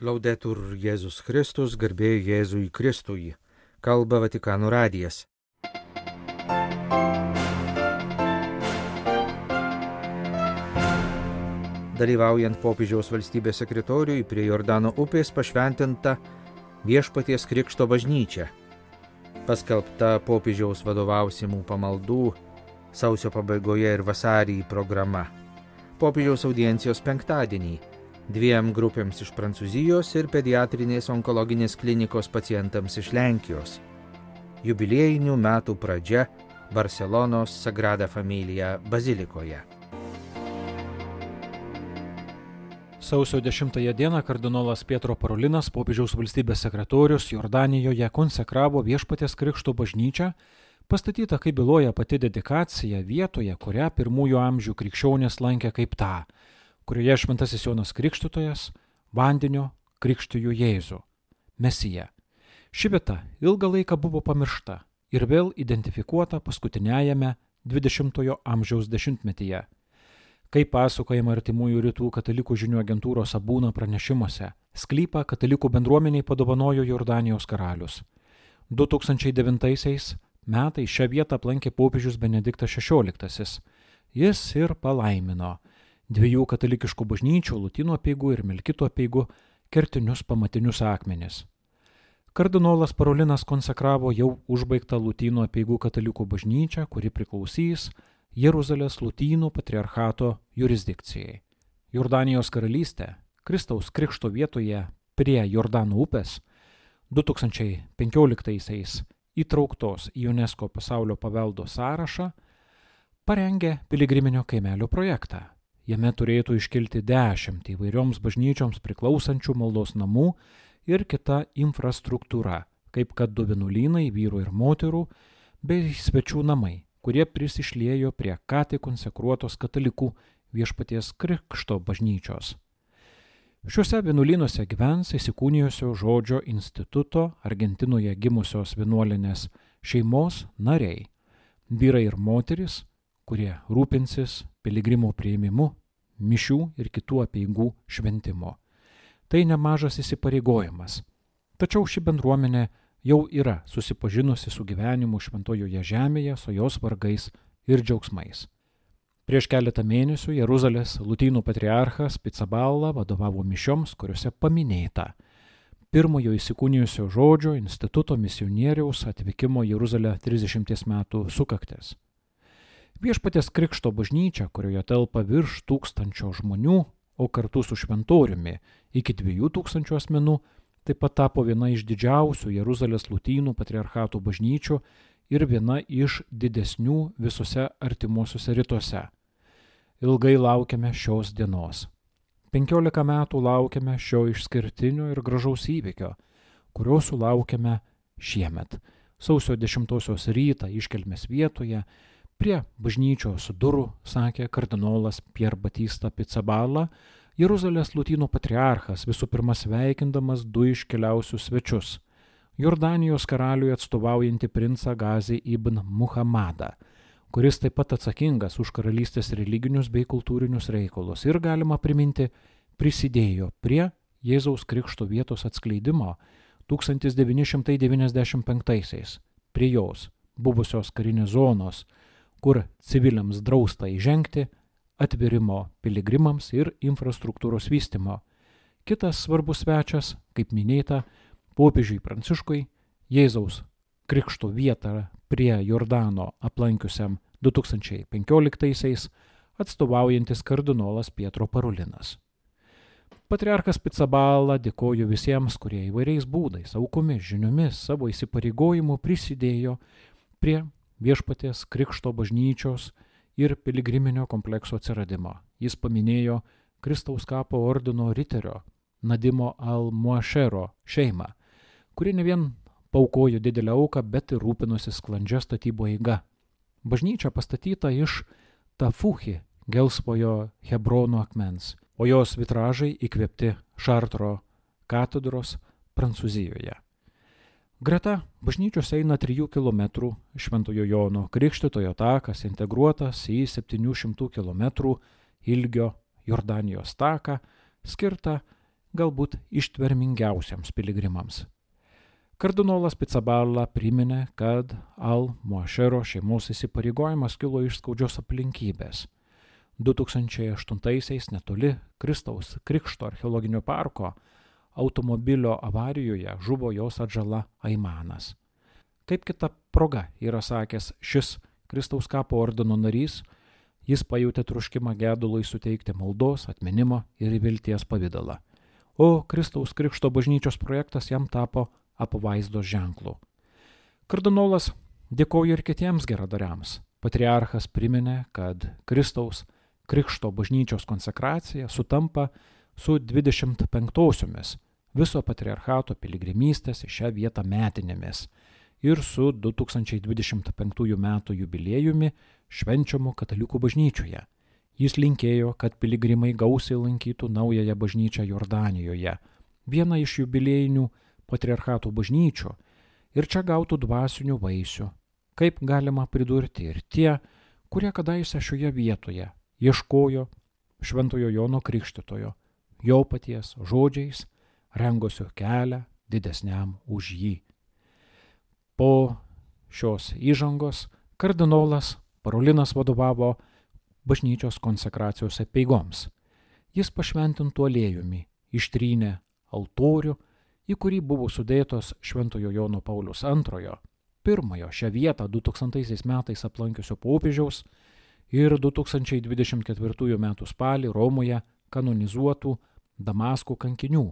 Laudetur Jėzus Kristus, garbė Jėzui Kristui. Kalba Vatikano radijas. Dalyvaujant popiežiaus valstybės sekretoriui prie Jordano upės pašventinta Viešpaties Krikšto bažnyčia. Paskelbta popiežiaus vadovausimų pamaldų sausio pabaigoje ir vasarį programa. Popiežiaus audiencijos penktadienį 2 grupėms iš Prancūzijos ir pediatrinės onkologinės klinikos pacientams iš Lenkijos. Jubiliejinių metų pradžia Barselonos Sagrada Familia bazilikoje. Sausio 10 dieną kardinolas Pietro Parolinas, popiežiaus valstybės sekretorius, Jordanijoje konsekravo Viešpaties Krikšto bažnyčią, pastatytą, kaip byloja pati dedikacija, vietoje, kurią pirmųjų amžių krikščionys lankė kaip tą, kurioje šventasis Jonas Krikštytojas vandeniu krikštijo Jėzų, Mesiją. Ši vieta ilgą laiką buvo pamiršta ir vėl identifikuota paskutiniajame 20-ojo amžiaus dešimtmetyje. Kaip pasakojama Artimųjų rytų katalikų žinių agentūros Abūna pranešimuose, sklypą katalikų bendruomeniai padovanojo Jordanijos karalius. 2009 metais šią vietą aplankė popiežius Benediktas XVI. Jis ir palaimino 2 katalikiškų bažnyčių, Lotynų apeigų ir Melkito apeigų kertinius pamatinius akmenis. Kardinolas Parolinas konsekravo jau užbaigtą Lotynų apeigų katalikų bažnyčią, kuri priklausys Jeruzalės Lotynų patriarchato jurisdikcijai. Jordanijos karalystė Kristaus Krikšto vietoje prie Jordano upės 2015 įtrauktos į UNESCO pasaulio paveldo sąrašą parengė piligriminio kaimelio projektą. Jame turėtų iškilti 10 įvairioms bažnyčioms priklausančių maldos namų ir kita infrastruktūra, kaip kad 2 vienuolynai vyrų ir moterų, bei svečių namai, kurie prisišliejo prie ką tik konsekruotos katalikų Viešpaties Krikšto bažnyčios. Šiuose vienuolynuose gyvens įsikūnijusio žodžio instituto Argentinoje gimusios vienuolinės šeimos nariai, vyrai ir moteris, kurie rūpinsis piligrimų priėmimu, mišių ir kitų apeigų šventimo. Tai nemažas įsipareigojimas. Tačiau ši bendruomenė jau yra susipažinusi su gyvenimu šventojoje žemėje, su jos vargais ir džiaugsmais. Prieš keletą mėnesių Jeruzalės Lotynų patriarchas Pizzaballa vadovavo mišioms, kuriuose paminėta pirmojo įsikūnijusio žodžio instituto misionieriaus atvykimo Jeruzalę 30 metų sukaktis. Viešpaties Krikšto bažnyčia, kurioje telpa virš 1000 žmonių, o kartu su šventoriumi iki 2000 asmenų, taip pat tapo viena iš didžiausių Jeruzalės Lotynų patriarchatų bažnyčių ir viena iš didesnių visose artimuosiuose rytuose. Ilgai laukiame šios dienos. 15 metų laukiame šio išskirtinio ir gražaus įvykio, kurio sulaukėme šiemet. Sausio 10 rytą iškelmės vietoje prie bažnyčios durų, sakė kardinolas Pier Batista Pizzaballa, Jeruzalės Lotynų patriarchas visų pirma sveikindamas 2 iškeliausius svečius – Jordanijos karaliui atstovaujantį princą Gazį ibn Muhammadą, kuris taip pat atsakingas už karalystės religinius bei kultūrinius reikalus ir, galima priminti, prisidėjo prie Jėzaus Krikšto vietos atskleidimo 1995 prie jos buvusios karinės zonos, kur civiliams drausta įžengti, atvėrimo piligrimams ir infrastruktūros vystymo. Kitas svarbus svečias, kaip minėta, popiežiui Pranciškui, Jėzaus Krikšto vietą prie Jordano aplankiusiam 2015 atstovaujantis kardinolas Pietro Parolinas. Patriarchas Pizzaballa dėkojo visiems, kurie įvairiais būdais, aukomis, žiniomis, savo įsipareigojimu prisidėjo prie Viešpaties Krikšto bažnyčios ir piligriminio komplekso atsiradimo. Jis paminėjo Kristaus kapo ordino riterio Nadimo al-Muašero šeimą, kuri ne vien paaukojo didelę auką, bet ir rūpinosi sklandžia statybo eiga. Bažnyčia pastatyta iš tafuchi, gelsvojo Hebrono akmens, o jos vitražai įkvėpti Šartro katedros Prancūzijoje. Greta bažnyčios eina 3 km Šventojo Jono Krikštytojo takas, integruotas į 700 km ilgio Jordanijos taką, skirtą galbūt ištvermingiausiams piligrimams. Kardinolas Pizzaballa priminė, kad Al-Muašero šeimos įsipareigojimas kilo iš skaudžios aplinkybės. 2008-aisiais netoli Kristaus Krikšto archeologinio parko automobilio avarijoje žuvo jos atžala Aimanas. Kaip kita proga yra sakęs šis Kristaus kapo ordino narys, jis pajutė troškimą gedului suteikti maldos, atminimo ir vilties pavidalą. O Kristaus Krikšto bažnyčios projektas jam tapo apvaizdos ženklų. Kardinolas dėkojo ir kitiems geradariams. Patriarchas priminė, kad Kristaus Krikšto bažnyčios konsekracija sutampa su 25-osiomis viso patriarchato piligrimystės į šią vietą metinėmis ir su 2025 metų jubiliejumi švenčiamu katalikų bažnyčioje. Jis linkėjo, kad piligrimai gausiai lankytų naująją bažnyčią Jordanijoje, vieną iš jubiliejinių patriarchato bažnyčių, ir čia gautų dvasinių vaisių, kaip galima pridurti ir tie, kurie kadaise šioje vietoje ieškojo Šventojo Jono Krikštytojo, jo paties žodžiais, rengosio kelią didesniam už jį. Po šios įžangos kardinolas Parolinas vadovavo bažnyčios konsekracijos apeigoms. Jis pašventintų aliejumi ištrynė altorių, į kurį buvo sudėtos Šventojo Jono Pauliaus II, pirmojo šią vietą 2000 metais aplankiusio popiežiaus ir 2024 metų spalį Romoje kanonizuotų Damasko kankinių,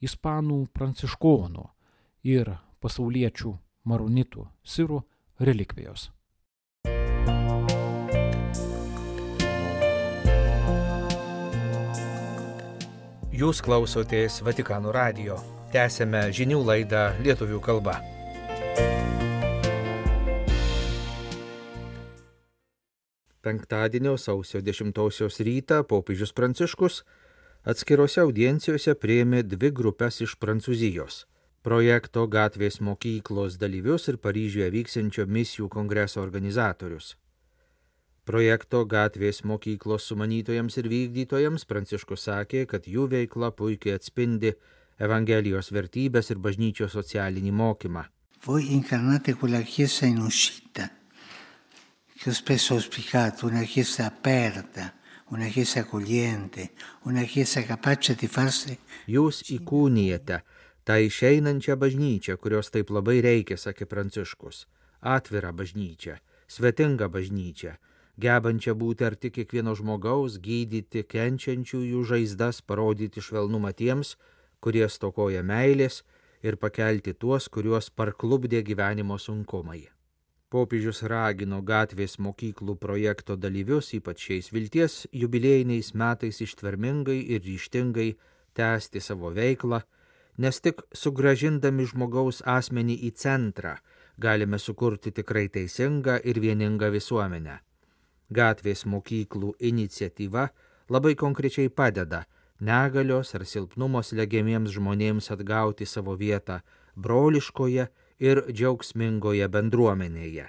ispanų pranciškonų ir pasauliečių maronitų sirų relikvijos. Jūs klausotės Vatikano radijo. Tęsėme žinių laidą lietuvių kalba. Penktadienio sausio 10 rytą popiežius Pranciškus atskirose audiencijose priėmė 2 grupes iš Prancūzijos – projekto Gatvės mokyklos dalyvius ir Paryžiuje vyksiančio misijų kongreso organizatorius. Projekto Gatvės mokyklos sumanytojams ir vykdytojams Pranciškus sakė, kad jų veikla puikiai atspindi Evangelijos vertybės ir bažnyčios socialinį mokymą. Voi incarnate quella chiesa in uscita, che ho spesso auspicato, una chiesa aperta, una chiesa accogliente, una chiesa capace di farsi. Jūs įkūnijate tą išeinančią bažnyčią, kurios taip labai reikia, sakė Pranciškus. Atvirą bažnyčią, svetingą bažnyčią, gebančią būti arti kiekvieno žmogaus, gydyti kenčiančiųjų žaizdas, parodyti švelnumą tiems, kurie stokoja meilės, ir pakelti tuos, kuriuos parklupdė gyvenimo sunkumai. Popiežius ragino Gatvės mokyklų projekto dalyvius, ypač šiais vilties jubiliejiniais metais ištvermingai ir ryžtingai tęsti savo veiklą, nes tik sugrąžindami žmogaus asmenį į centrą galime sukurti tikrai teisingą ir vieningą visuomenę. Gatvės mokyklų iniciatyva labai konkrečiai padeda negalios ar silpnumo slegiamiems žmonėms atgauti savo vietą broliškoje ir džiaugsmingoje bendruomenėje.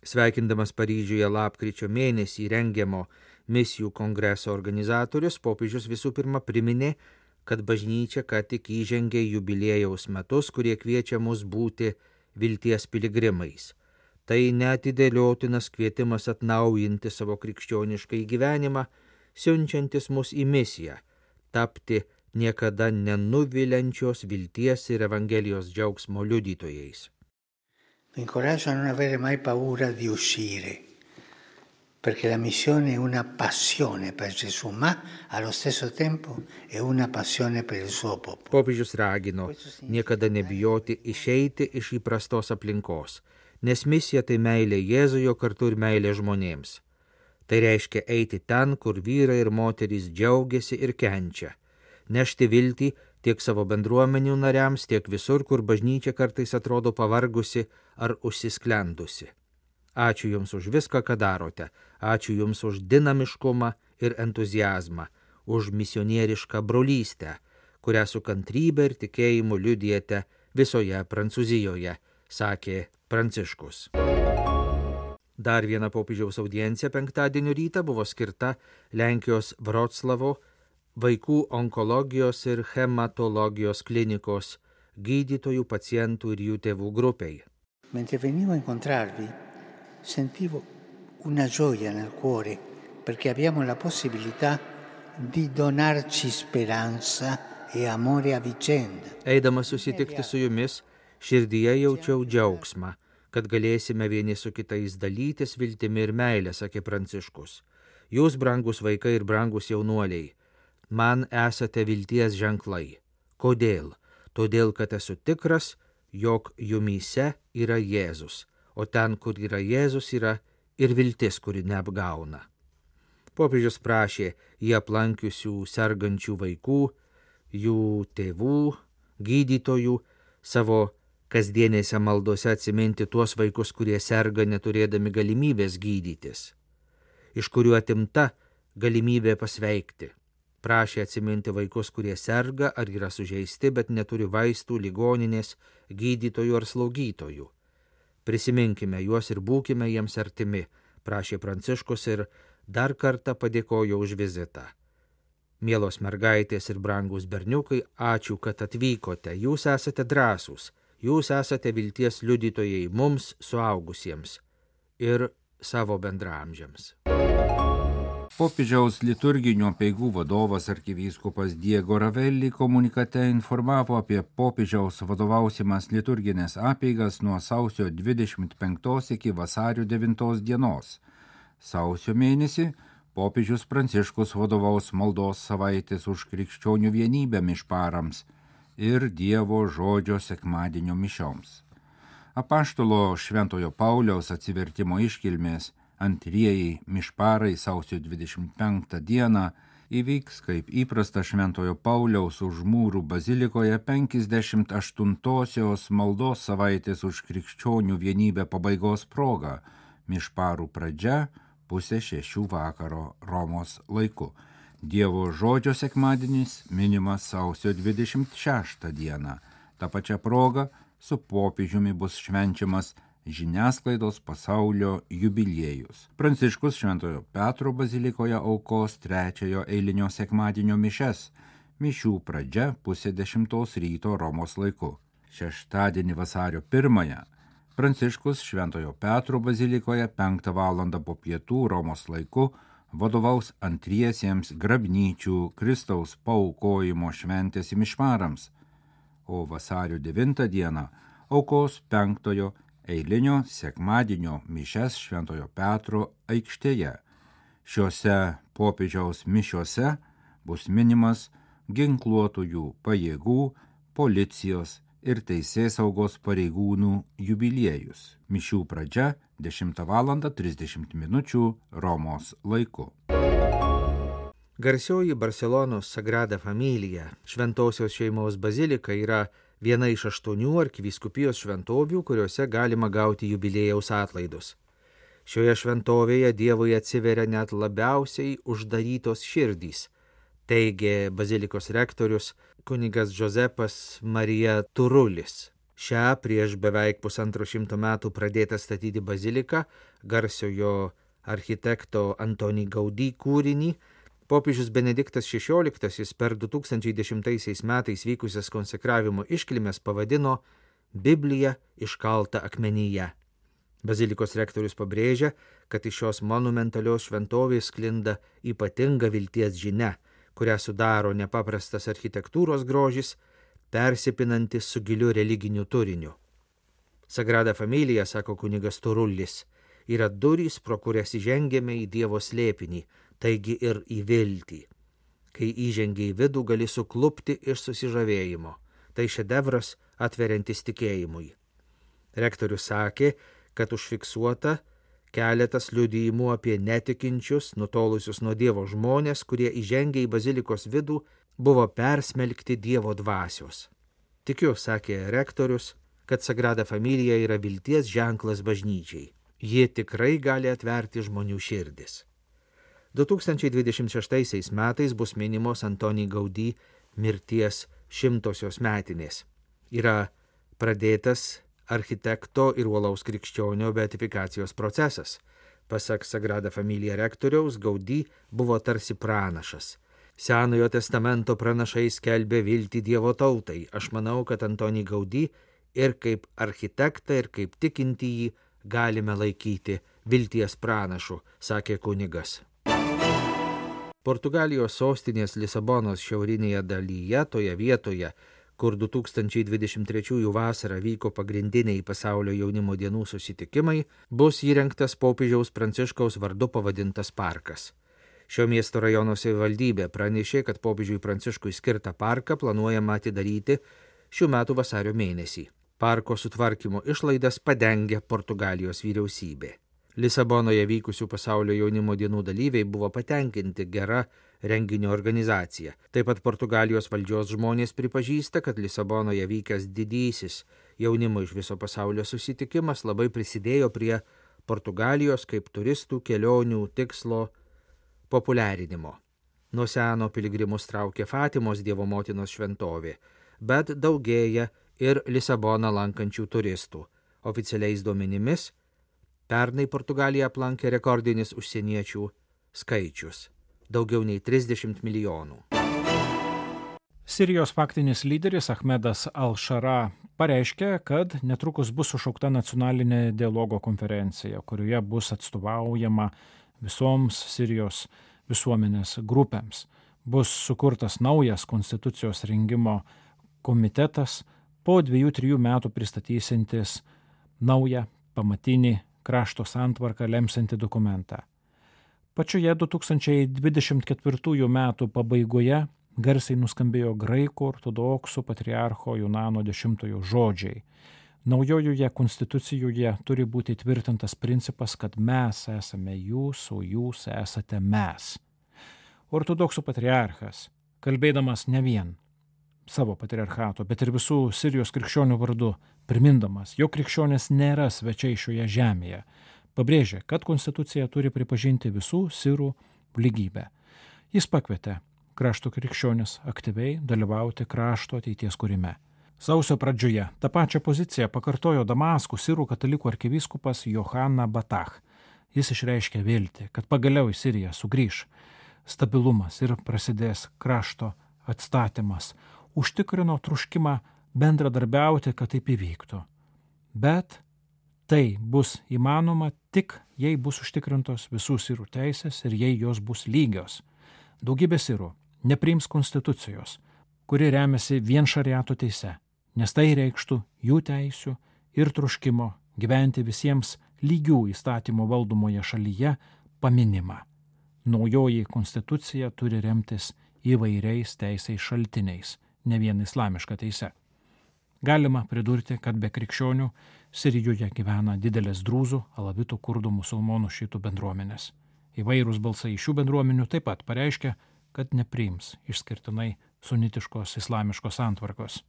Sveikindamas Paryžiuje lapkričio mėnesį rengiamo misijų kongreso organizatorius, popiežius visų pirma priminė, kad bažnyčia ką tik įžengė jubiliejaus metus, kurie kviečia mus būti vilties piligrimais. Tai neatidėliotinas kvietimas atnaujinti savo krikščionišką gyvenimą, siunčiantis mus į misiją, tapti niekada nenuviliančios vilties ir Evangelijos džiaugsmo liudytojais. Vi incoraggio a non avere mai paura di uscire, perché la missione è una passione per Gesù, ma allo stesso tempo è una passione per il suo popolo. Popiežius ragino niekada nebijoti išeiti iš įprastos aplinkos, nes misija tai meilė Jėzuje kartu ir meilė žmonėms. Tai reiškia eiti ten, kur vyrai ir moterys džiaugiasi ir kenčia, nešti viltį tiek savo bendruomenių nariams, tiek visur, kur bažnyčia kartais atrodo pavargusi ar užsisklendusi. Ačiū Jums už viską, ką darote. Ačiū Jums už dinamiškumą ir entuziazmą, už misionierišką brolystę, kurią su kantrybė ir tikėjimu liudijate visoje Prancūzijoje, sakė Pranciškus. Dar viena popiežiaus audiencija penktadienio rytą buvo skirta Lenkijos Vroclavo vaikų onkologijos ir hematologijos klinikos gydytojų, pacientų ir jų tėvų grupiai. Mentre venivo a incontrarvi, sentivo una gioia nel cuore perché abbiamo la possibilità di donarci speranza e amore a vicenda. Eidamas susitikti su jumis, širdyje jaučiau džiaugsmą, kad galėsime vieni su kitais dalytis viltimi ir meilė, sakė Pranciškus. Jūs, brangus vaikai ir brangus jaunuoliai, man esate vilties ženklai. Kodėl? Todėl, kad esu tikras, jog jumyse yra Jėzus, o ten, kur yra Jėzus, yra ir viltis, kuri neapgauna. Popiežius prašė jį aplankiusių sergančių vaikų, jų tėvų, gydytojų, savo kasdienėse maldose atsiminti tuos vaikus, kurie serga neturėdami galimybės gydytis, iš kurių atimta galimybė pasveikti. Prašė atsiminti vaikus, kurie serga ar yra sužeisti, bet neturi vaistų, ligoninės, gydytojų ar slaugytojų. Prisiminkime juos ir būkime jiems artimi, prašė Pranciškus ir dar kartą padėkojo už vizitą. Mielos mergaitės ir brangus berniukai, ačiū, kad atvykote. Jūs esate drąsūs, jūs esate vilties liudytojai mums, suaugusiems ir savo bendraamžiams. Popiežiaus liturginių apeigų vadovas arkivyskupas Diego Ravelli komunikate informavo apie popiežiaus vadovausimas liturginės apeigas nuo sausio 25 iki vasario 9 dienos. Sausio mėnesį popiežius Pranciškus vadovaus maldos savaitės už krikščionių vienybę mišparams ir Dievo žodžio sekmadienio mišioms. Apaštalo Šventojo Pauliaus atsivertimo iškilmės antrieji mišparai sausio 25 dieną įvyks kaip įprasta Šventojo Pauliaus už mūrų bazilikoje 58-osios maldos savaitės už krikščionių vienybę pabaigos proga, mišparų pradžia 5:30 vakaro Romos laiku. Dievo žodžio sekmadienis minimas sausio 26 dieną. Ta pačia proga su popiežiumi bus švenčiamas žiniasklaidos pasaulio jubiliejus. Pranciškus Šventojo Petro bazilikoje aukos 3 eilinio sekmadienio mišes, mišių pradžia 9:30 ryto Romos laiku. Šeštadienį vasario 1 Pranciškus Šventojo Petro bazilikoje 5 valandą po pietų Romos laiku vadovaus antriesiems grabnyčių Kristaus paaukojimo šventės mišparams, o vasario 9 dieną aukos 5 eilinio sekmadienio mišes Šventojo Petro aikštėje. Šiuose popiežiaus mišiuose bus minimas ginkluotųjų pajėgų, policijos ir teisėsaugos pareigūnų jubiliejus. Mišių pradžia 10:30 Romos laiku. Garsioji Barselonos Sagrada Familia, šventosios šeimos bazilika, yra viena iš 8 arkivyskupijos šventovių, kuriuose galima gauti jubiliejaus atlaidus. Šioje šventovėje Dievui atsiveria net labiausiai uždarytos širdys, teigė bazilikos rektorius kunigas Džozepas Marija Turulis. Šią prieš beveik 150 metų pradėtą statyti baziliką, garsiojo architekto Antoni Gaudí kūrinį, popiežius Benediktas XVI per 2010 metais vykusias konsekravimo iškilmes pavadino Biblija iškalta akmenyje. Bazilikos rektorius pabrėžia, kad iš šios monumentalios šventovės sklinda ypatinga vilties žinia, kurią sudaro nepaprastas architektūros grožis, persipinantis su giliu religiniu turiniu. Sagrada Familia, sako kunigas Turullis, yra durys, pro kurias įžengėme į Dievo slėpinį, taigi ir į viltį. Kai įžengi į vidų, gali suklupti iš susižavėjimo. Tai šedevras atveriantis tikėjimui. Rektorius sakė, kad užfiksuota keletas liudijimų apie netikinčius, nutolusius nuo Dievo žmonės, kurie įžengė į bazilikos vidų, buvo persmelkti Dievo dvasios. Tikiu, sakė rektorius, kad Sagrada Familia yra vilties ženklas bažnyčiai. Ji tikrai gali atverti žmonių širdis. 2026 metais bus minimos Antoni Gaudí mirties 100-osios metinės. Yra pradėtas architekto ir uolaus krikščionio beatifikacijos procesas. Pasak Sagrada Familia rektoriaus, Gaudí buvo tarsi pranašas. Senojo testamento pranašai skelbė viltį Dievo tautai. Aš manau, kad Antonį Gaudį ir kaip architektą, ir kaip tikintįjį galime laikyti vilties pranašu, sakė kunigas. Portugalijos sostinės Lisabonos šiaurinėje dalyje, toje vietoje, kur 2023 vasarą vyko pagrindiniai pasaulio jaunimo dienų susitikimai, bus įrengtas popiežiaus Pranciškaus vardu pavadintas parkas. Šio miesto rajono savivaldybė pranešė, kad popiežiui Pranciškui skirtą parką planuojama atidaryti šių metų vasario mėnesį. Parko sutvarkymo išlaidas padengia Portugalijos vyriausybė. Lisabonoje vykusių pasaulio jaunimo dienų dalyviai buvo patenkinti gera renginio organizacija. Taip pat Portugalijos valdžios žmonės pripažįsta, kad Lisabonoje vykęs didysis jaunimo iš viso pasaulio susitikimas labai prisidėjo prie Portugalijos kaip turistų kelionių tikslo populiarinimo. Nuo seno piligrimus traukė Fatimos Dievo motinos šventovė, bet daugėja ir Lisaboną lankančių turistų. Oficialiais duomenimis pernai Portugaliją aplankė rekordinis užsieniečių skaičius – daugiau nei 30 milijonų. Sirijos faktinis lyderis Ahmedas Al-Šara pareiškė, kad netrukus bus sušaukta nacionalinė dialogo konferencija, kurioje bus atstovaujama visoms Sirijos visuomenės grupėms. Bus sukurtas naujas konstitucijos rengimo komitetas, po 2-3 metų pristatysintis naują pamatinį krašto santvarką lemsiantį dokumentą. Pačioje 2024 metų pabaigoje garsiai nuskambėjo graikų ortodoksų patriarcho Junano X žodžiai. Naujojoje konstitucijoje turi būti tvirtintas principas, kad mes esame jūs, o jūs esate mes. Ortodoksų patriarchas, kalbėdamas ne vien savo patriarchato, bet ir visų Sirijos krikščionių vardu, primindamas, jog krikščionys nėra svečiai šioje žemėje, pabrėžė, kad konstitucija turi pripažinti visų sirų lygybę. Jis pakvietė krašto krikščionis aktyviai dalyvauti krašto ateities kūrime. Sausio pradžioje tą pačią poziciją pakartojo Damaskų sirų katalikų arkivyskupas Johana Batach. Jis išreiškė viltį, kad pagaliau į Siriją sugrįš stabilumas ir prasidės krašto atstatymas. Užtikrino troškimą bendradarbiauti, kad taip įvyktų. Bet tai bus įmanoma tik, jei bus užtikrintos visų sirų teisės ir jei jos bus lygios. Daugybė sirų nepriims konstitucijos, kuri remiasi vien šariato teise, nes tai reikštų jų teisių ir troškimo gyventi visiems lygių įstatymų valdomoje šalyje paminimą. Naujoji konstitucija turi remtis įvairiais teisės šaltiniais, ne vien islamiška teise. Galima pridurti, kad be krikščionių Sirijoje gyvena didelės drūzų, alavitų, kurdų, musulmonų, šiitų bendruomenės. Įvairūs balsai iš šių bendruomenių taip pat pareiškia, kad nepriims išskirtinai sunitiškos islamiškos santvarkos.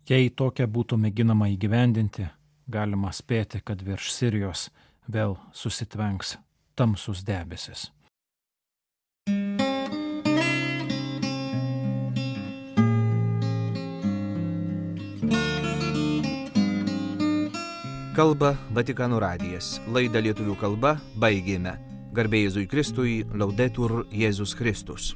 Jei tokia būtų mėginama įgyvendinti, galima spėti, kad virš Sirijos vėl susitvenks tamsus debesis. Kalba Vatikano radijas. Laidą lietuvių kalba baigėme. Garbė Jėzui Kristui, Laudetur Jėzus Kristus.